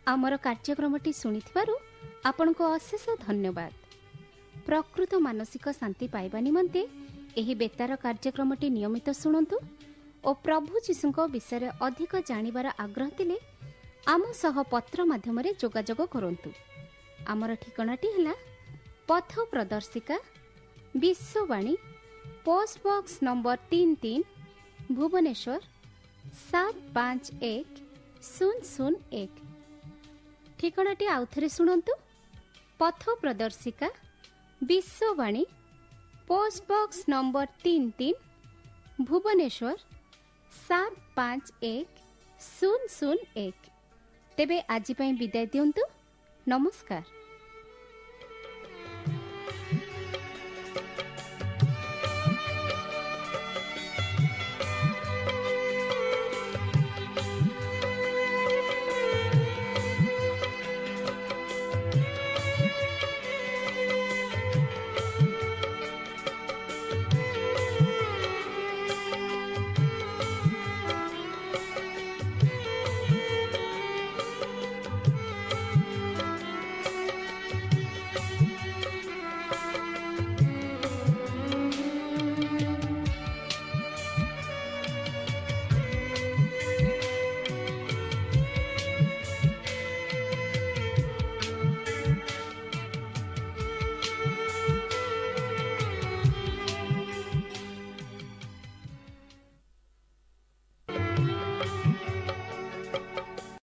ଆମର କାର୍ଯ୍ୟକ୍ରମଟି ଶୁଣିଥିବାରୁ ଆପଣଙ୍କୁ ଅଶେଷ ଧନ୍ୟବାଦ। ପ୍ରକୃତ ମାନସିକ ଶାନ୍ତି ପାଇବା ନିମନ୍ତେ ଏହି ବେତାର କାର୍ଯ୍ୟକ୍ରମଟି ନିୟମିତ ଶୁଣନ୍ତୁ ଓ ପ୍ରଭୁ ଯୀଶୁଙ୍କ ବିଷୟରେ ଅଧିକ ଜାଣିବାର ଆଗ୍ରହ ଥିଲେ ଆମ ସହ ପତ୍ର ମାଧ୍ୟମରେ ଯୋଗାଯୋଗ କରନ୍ତୁ। ଆମର ଠିକଣାଟି ହେଲା ପଥ ପ୍ରଦର୍ଶିକା, Vishwavani, post box number 33, Bhubaneswar 751001। ଠିକଣାଟି ଆଉଥରେ ଶୁଣନ୍ତୁ, ପଥ ପ୍ରଦର୍ଶିକା, Vishwavani, post box number 33, Bhubaneswar 751001। ତେବେ ଆଜି ପାଇଁ ବିଦାୟ ଦିଅନ୍ତୁ। ନମସ୍କାର।